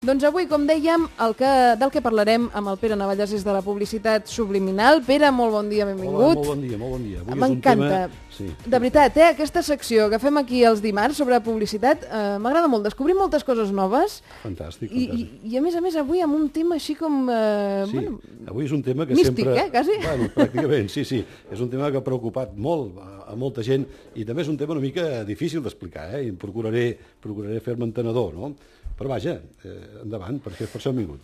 Doncs avui, com dèiem, del que parlarem amb el Pere Navalles és de la publicitat subliminal. Pere, molt bon dia, benvingut. Hola, molt bon dia, molt bon dia. M'encanta. Sí. De veritat, aquesta secció que fem aquí els dimarts sobre publicitat m'agrada molt. Descobrim moltes coses noves. Fantàstic, fantàstic. I a més, avui amb un tema així com... sí, avui és un tema que místic, sempre... quasi. Bueno, pràcticament, sí. És un tema que ha preocupat molt a molta gent i també és un tema una mica difícil d'explicar, i procuraré fer-me entenedor, no? Però vaja, endavant, perquè per això hem vingut.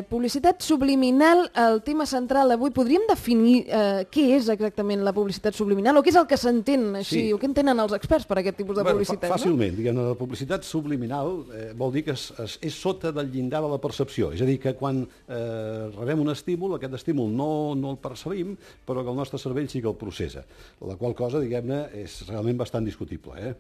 Publicitat subliminal, el tema central d'avui. Podríem definir què és exactament la publicitat subliminal o què és el que s'entén així, o què entenen els experts per aquest tipus de publicitat? Fàcilment, diguem-ne, la publicitat subliminal vol dir que és sota del llindar de la percepció, és a dir, que quan rebem un estímul, aquest estímul no el percebim, però que el nostre cervell sí que el processa, la qual cosa, diguem-ne, és realment bastant discutible,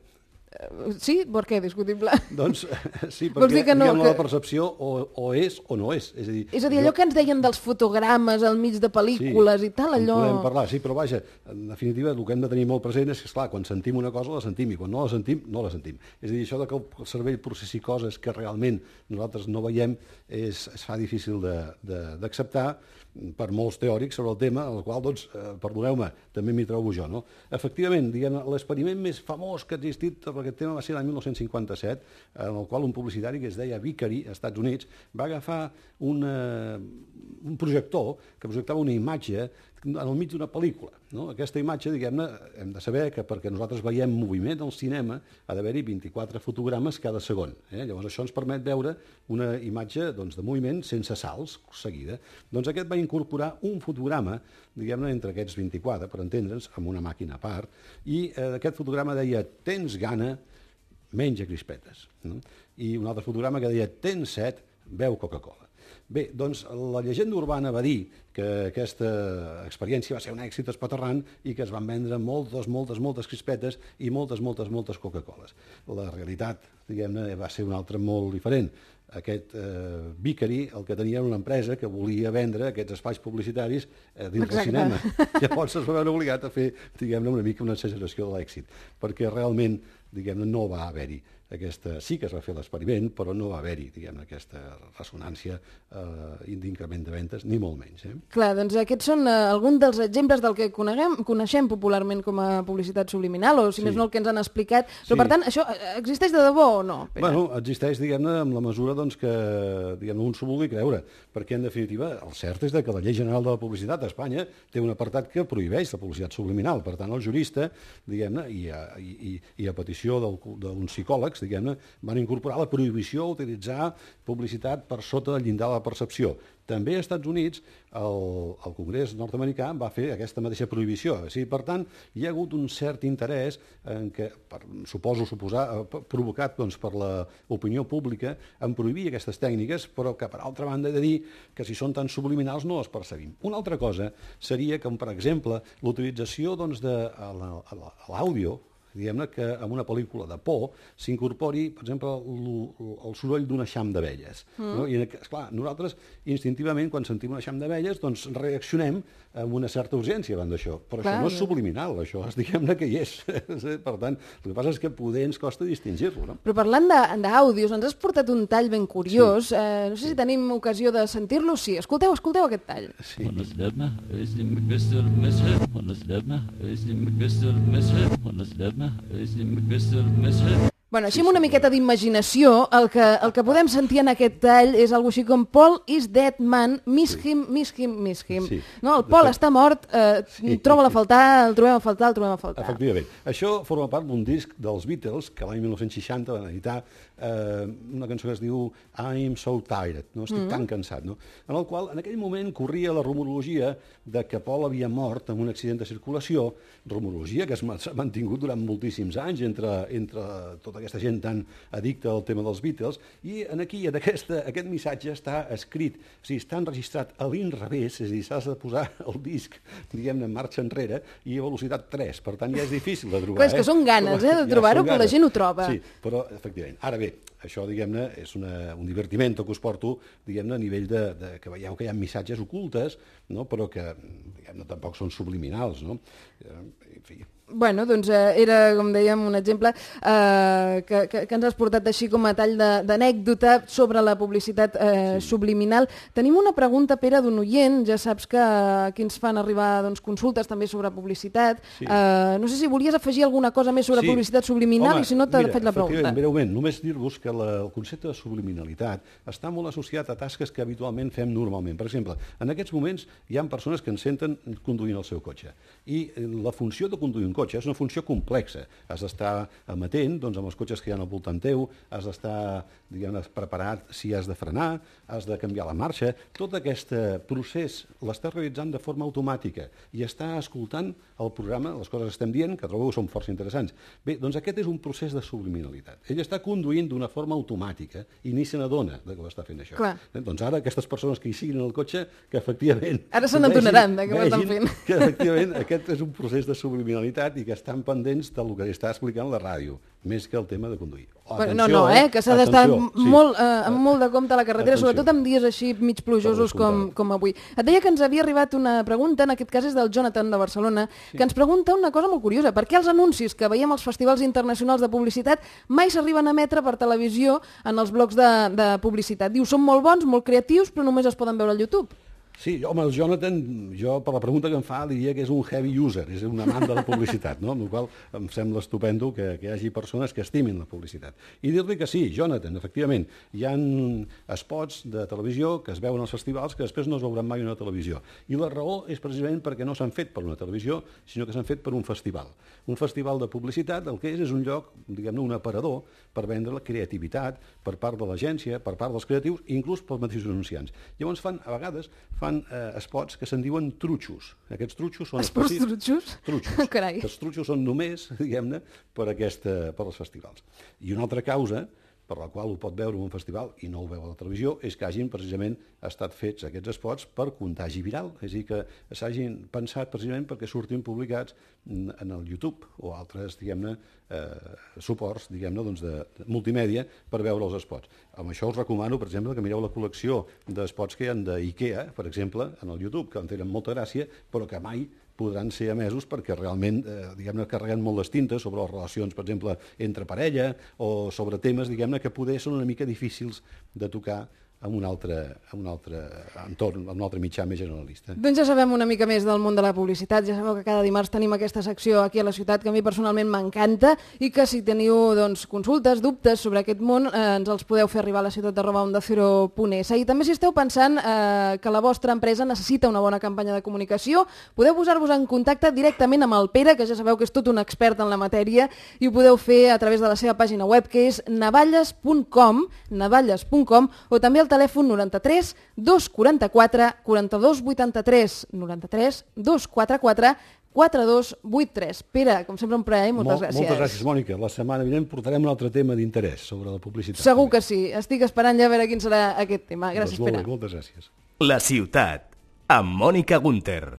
Sí? Per què discutible? Doncs sí, perquè diguem-ne la percepció o és o no és. És a dir, allò que ens deien dels fotogrames al mig de pel·lícules i tal, allò... Sí, podem parlar, sí, però vaja, en definitiva, el que hem de tenir molt present és que, esclar, quan sentim una cosa la sentim i quan no la sentim, no la sentim. És a dir, això que el cervell processi coses que realment nosaltres no veiem es fa difícil d'acceptar per molts teòrics sobre el tema, el qual, doncs, perdoneu-me, també m'hi trobo jo, no? Efectivament, diguem, l'experiment més famós que ha existit per aquest tema va ser l'any 1957, en el qual un publicitari que es deia Vickery, als Estats Units, va agafar un projector que projectava una imatge en el mig d'una pel·lícula, no? Aquesta imatge, diguem-ne, hem de saber que perquè nosaltres veiem moviment al cinema ha d'haver-hi 24 fotogrames cada segon. Llavors això ens permet veure una imatge, doncs, de moviment sense salts seguida. Doncs aquest va incorporar un fotograma, diguem-ne, entre aquests 24, per entendre'ns, amb una màquina a part, i aquest fotograma deia "tens gana, menja crispetes", no? I un altre fotograma que deia "tens set, beu Coca-Cola". Bé, doncs la llegenda urbana va dir que aquesta experiència va ser un èxit espaterrant i que es van vendre moltes crispetes i moltes Coca-Coles. La realitat, diguem-ne, va ser una altra molt diferent. Aquest Vickery el que tenia era una empresa que volia vendre aquests espais publicitaris dins del cinema. Llavors es va veure obligat a fer, diguem-ne, una mica una exageració de l'èxit, perquè realment, diguem-ne, no va haver-hi sí que es va fer l'experiment, però no va haver-hi, diguem-ne, aquesta ressonància d'increment de ventes, ni molt menys. Clar, doncs aquests són alguns dels exemples del que coneixem popularment com a publicitat subliminal, o si més no el que ens han explicat. Però, per tant, això existeix de debò o no, Pere? Bueno, existeix, diguem-ne, amb la mesura que un s'ho vulgui creure, perquè, en definitiva, el cert és que la Llei General de la Publicitat a Espanya té un apartat que prohibeix la publicitat subliminal. Per tant, el jurista, diguem-ne, i a petició d'uns psicòlegs, diguem-ne, van incorporar la prohibició d'utilitzar publicitat per sota del llindar de la percepció. També als Estats Units el Congrés nord-americà va fer aquesta mateixa prohibició. Per tant, hi ha hagut un cert interès en què, provocat per l'opinió pública, en prohibir aquestes tècniques, però que, per altra banda, he de dir que si són tan subliminals no les percebim. Una altra cosa seria que, per exemple, l'utilització de l'àudio, diguem-ne, que en una pel·lícula de por s'incorpori, per exemple, el soroll d'un eixam d'abelles. I, esclar, nosaltres, instintivament, quan sentim un eixam d'abelles, doncs reaccionem amb una certa urgència davant d'això. Però això no és subliminal, això és, diguem-ne, que hi és. Per tant, el que passa és que poder ens costa distingir-lo, no? Però parlant d'àudios, ens has portat un tall ben curiós. No sé si tenim ocasió de sentir-lo. Sí, escolteu aquest tall. Bueno, així amb una miqueta d'imaginació, el que podem sentir en aquest tall és algo així com "Paul is dead man, miss him". No, el Paul està mort, el trobem a faltar. Efectivament. Això forma part d'un disc dels Beatles que l'any 1960 van editar una cançó que es diu "I'm so tired", no? Estic tan cansat, no? En el qual, en aquell moment, corria la rumorologia de que Paul havia mort en un accident de circulació, rumorologia que s'ha mantingut durant moltíssims anys entre tota aquesta gent tan addicta al tema dels Beatles, i aquí, aquest missatge està escrit, o sigui, està enregistrat a l'inrevés, és a dir, s'has de posar el disc, diguem-ne, en marxa enrere i a velocitat 3, per tant ja és difícil de trobar. Però és que són ganes, de trobar-ho, però la gent ho troba. Sí, però, efectivament. Ara bé, això, diguem-ne, és un divertiment que us porto, diguem-ne, a nivell que veieu que hi ha missatges ocultes, no? Però que, diguem-ne, tampoc són subliminals, no? En fi... Bueno, doncs era, com dèiem, un exemple que ens has portat així com a tall d'anècdota sobre la publicitat subliminal. Tenim una pregunta, Pere, d'un oient. Ja saps que aquí ens fan arribar consultes també sobre publicitat. No sé si volies afegir alguna cosa més sobre publicitat subliminal. Home, i si no, t'he fet la pregunta. Breument, només dir-vos que el concepte de subliminalitat està molt associat a tasques que habitualment fem normalment. Per exemple, en aquests moments hi ha persones que ens senten conduint el seu cotxe. I la funció de conduir un cotxe és una funció complexa. Has d'estar amatent amb els cotxes que hi ha al voltant teu, has d'estar, diguem-ne, preparat si has de frenar, has de canviar la marxa. Tot aquest procés l'estàs realitzant de forma automàtica i està escoltant el programa, les coses que estem dient, que trobo que són força interessants. Bé, doncs aquest és un procés de subliminalitat. Ell està conduint d'una forma automàtica i ni se n'adona que ho està fent això. Doncs ara aquestes persones que hi siguin en el cotxe, que efectivament... Ara se n'adonaran que ho estan fent. Que efectivament aquest és un procés de subliminalitat i que estan pendents del que està explicant la ràdio, més que el tema de conduir. Que s'ha d'estar amb molt de compte a la carretera, sobretot en dies així mig plujosos com avui. Et deia que ens havia arribat una pregunta, en aquest cas és del Jonathan de Barcelona, que ens pregunta una cosa molt curiosa. Per què els anuncis que veiem als festivals internacionals de publicitat mai s'arriben a emetre per televisió en els blocs de publicitat? Diu, són molt bons, molt creatius, però només es poden veure al YouTube. Sí, home, el Jonathan, jo per la pregunta que em fa diria que és un heavy user, és un amant de la publicitat, no? Amb la qual cosa em sembla estupendo que hi hagi persones que estimin la publicitat. I dir-li que sí, Jonathan, efectivament, hi ha spots de televisió que es veuen als festivals que després no es veuran mai a una televisió. I la raó és precisament perquè no s'han fet per una televisió, sinó que s'han fet per un festival. Un festival de publicitat el que és un lloc, diguem-ne, un aparador per vendre la creativitat per part de l'agència, per part dels creatius i inclús pels mateixos anunciants. Llavors a vegades fan spots que se'n diuen trutxos. Aquests trutxos són... Esports trutxos? Trutxos. Carai. Els trutxos són només, diguem-ne, per als festivals. I una altra causa per la qual ho pot veure en un festival i no ho veu a la televisió, és que hagin precisament estat fets aquests spots per contagi viral, és a dir, que s'hagin pensat precisament perquè surtin publicats en el YouTube o altres, diguem-ne, suports, diguem-ne, de multimèdia per veure els spots. Amb això us recomano, per exemple, que mireu la col·lecció d'espots que hi ha d'IKEA, per exemple, en el YouTube, que en tenen molta gràcia, però que mai podran ser emesos perquè realment, diguem-ne, carreguen molt les tintes sobre les relacions, per exemple, entre parella o sobre temes, diguem-ne, que poder són una mica difícils de tocar en un altre entorn, en un altre mitjà més generalista. Doncs ja sabem una mica més del món de la publicitat, ja sabeu que cada dimarts tenim aquesta secció aquí a la ciutat que a mi personalment m'encanta i que si teniu consultes, dubtes sobre aquest món ens els podeu fer arribar a la ciutat@ondacero.es. I també si esteu pensant que la vostra empresa necessita una bona campanya de comunicació, podeu posar-vos en contacte directament amb el Pere, que ja sabeu que és tot un expert en la matèria, i ho podeu fer a través de la seva pàgina web, que és navalles.com, o també al telèfon 93 244 42 83, 93 244 4283. Pere, com sempre un plaer, moltes gràcies. Moltes gràcies, Mònica. La setmana vinent portarem un altre tema d'interès sobre la publicitat. Segur que sí. Estic esperant ja a veure quin serà aquest tema. Gràcies, Pere. Moltes gràcies. La ciutat, amb Mònica Gunter.